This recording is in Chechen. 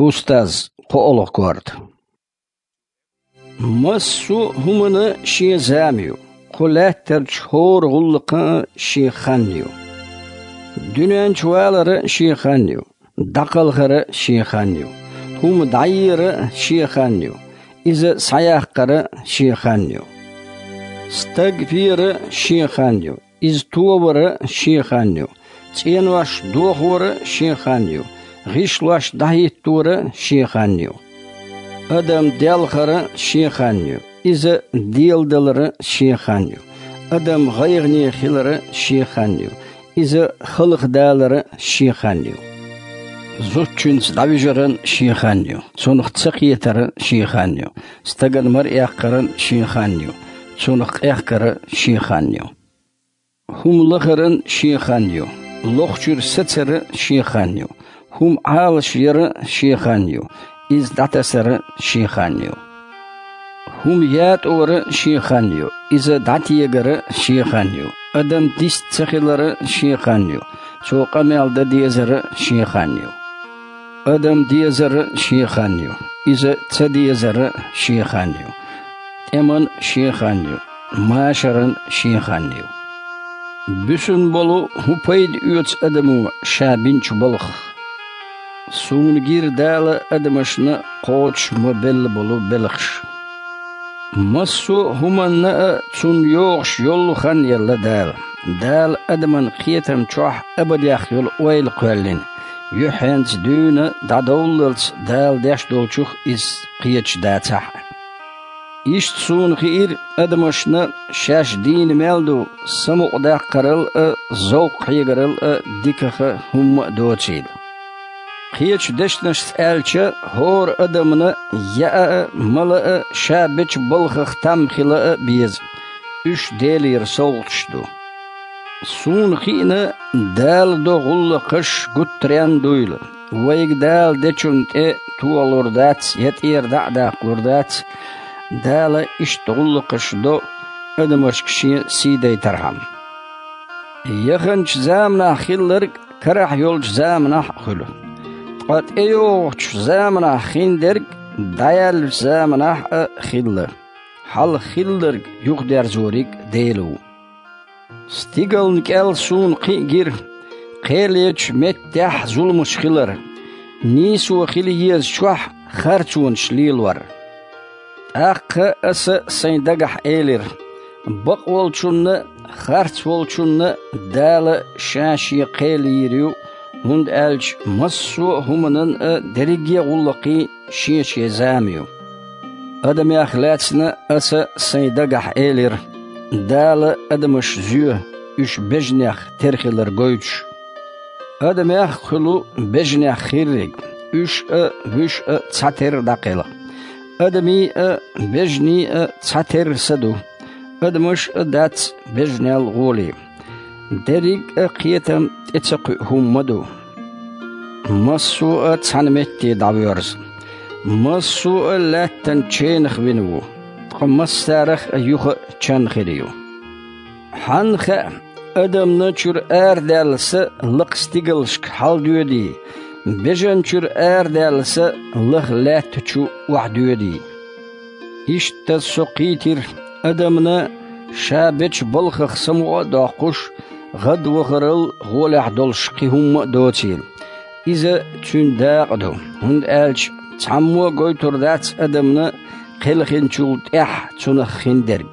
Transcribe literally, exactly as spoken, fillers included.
Устаз, кхоалгӀа корта. Массо а хӀуманна шен зама ю, кху лаьттарчу хӀора гӀуллакхна а шен хан ю. Дуьнен чу валарна а шен хан ю, дӀакхалхарна а шен хан ю. ХӀума дӀаерна а шен хан ю, иза схьаяккхарна а шен хан ю. Стаг верна а шен хан ю, иза товарна а шен хан ю. ЦӀенош дохорна а шен хан ю, гӀишлош дӀахӀитторна а шен хан ю. Адам делхарна а шен хан ю, иза деладаларна а шен хан ю. Адам гӀайгӀане хиларна а шен хан ю, иза халхадаларна а шен хан ю. Зудчуьнца дӀавижарна а шен хан ю, цунах ца кхетарна а шен хан ю. Стагана мара эккхарна а шен хан ю, цунах къехкарна а шен хан ю. ХӀума лахарна а шен хан ю, лохучуьра сацарна а шен хан ю. ХӀума Ӏалашъярна а шен хан ю, иза дӀатасарна а шен хан ю. ХӀума ятӀорна а шен хан ю, иза дӀатегарна а шен хан ю. Адам дист ца хиларна а шен хан ю, цо къамел дан дезарна а шен хан ю. Адам дезарна а шен хан ю, иза ца дезарна а шен хан ю. ТӀеман а шен хан ю, машаран а шен хан ю. Буьсун болу хӀун пайда оьцу адамо ша бинчу балхах? Суна гира Дала адамашна кхочуш ма белла болу белхаш. Массо а хӀуманна а цунна йогӀуш йолу хан елла Дала. Дала адаман кхетам чохь абадех йолу ойла кхоьллина, юьххьенца дуьйна дӀадовллалц Дала деш долчух иза кхеташ дацахь а. Иштта суна хиира адамашна шаьш дийна мел ду самукъадаккхарал а, зовкх хьегарал а, дикаха хӀумма а доцийла. Кхечу дешнашца аьлча, хӀора адамна яа а, мала а, ша бечу балхах там хила а беза. Уьш Делера совгӀаташ ду. Суна хиъна, Дала до гӀуллакхаш гуттаренна дуйла. Вайга Дала дечунна тӀе тохалур дац я тӀера дӀа а даккхалур дац, Дала иштта гӀуллакхаш до адамашка Шен сий дайтархьама. Яханчу заманахь хилларг карахь йолчу заманахь а хуьлу. Ткъа тӀейогӀучу заманахь хиндерг дӀаяьллачу заманахь а хилла. Хьалха хилларг юхадерзориг Дела ву. Стигална кӀел суна кхин а гира, кхелечу меттехь зуламаш хилар, нийсо хила езачохь харцонаш лелор. ТӀаккха аса сайн дагахь элира: «Бакъволчунна а, харцволчунна а Дала Ша Шен кхел йийр ю, хӀунда аьлча массо а хӀуманан а, дерриге а гӀуллакхийн Шен-Шен зама ю». Адамех лаьцна аса сайн дагахь элира: «Дала адамаш зоь, уьш бежанех тера хилар гойтуш». Адамех а хуьлу бежанех хирриг, уьш а, вуьш а цхьатерра дӀакхелха. Адамийн а, бежанийн а цхьатерра са ду. Адамаш а дац бежанел гӀоле. Дерриг а кхетам тӀе ца кхуьу хӀума ма ду. Массо а цхьана метте дӀавоьрзу. Массо а лаьттан ченах вина ву, ткъа массарах а юха а чан хир ю. Хьанна хаьа, адамна чуьра арадаьлла са лакха стигалшка хьаладоьдий, бежан чуьра арадаьлла са лаха лаьтта чу охьадоьдий? Иштта со кхийтира адамна ша бечу балхах самукъа а доккхуш, гӀадвахарал гӀолехь долуш кхин хӀумма а доцийла. Иза цуьнан дакъа ду, хӀунда аьлча цхьаммо а гойтур дац адамна кхелхинчул тӀаьхьа цунах хиндерг.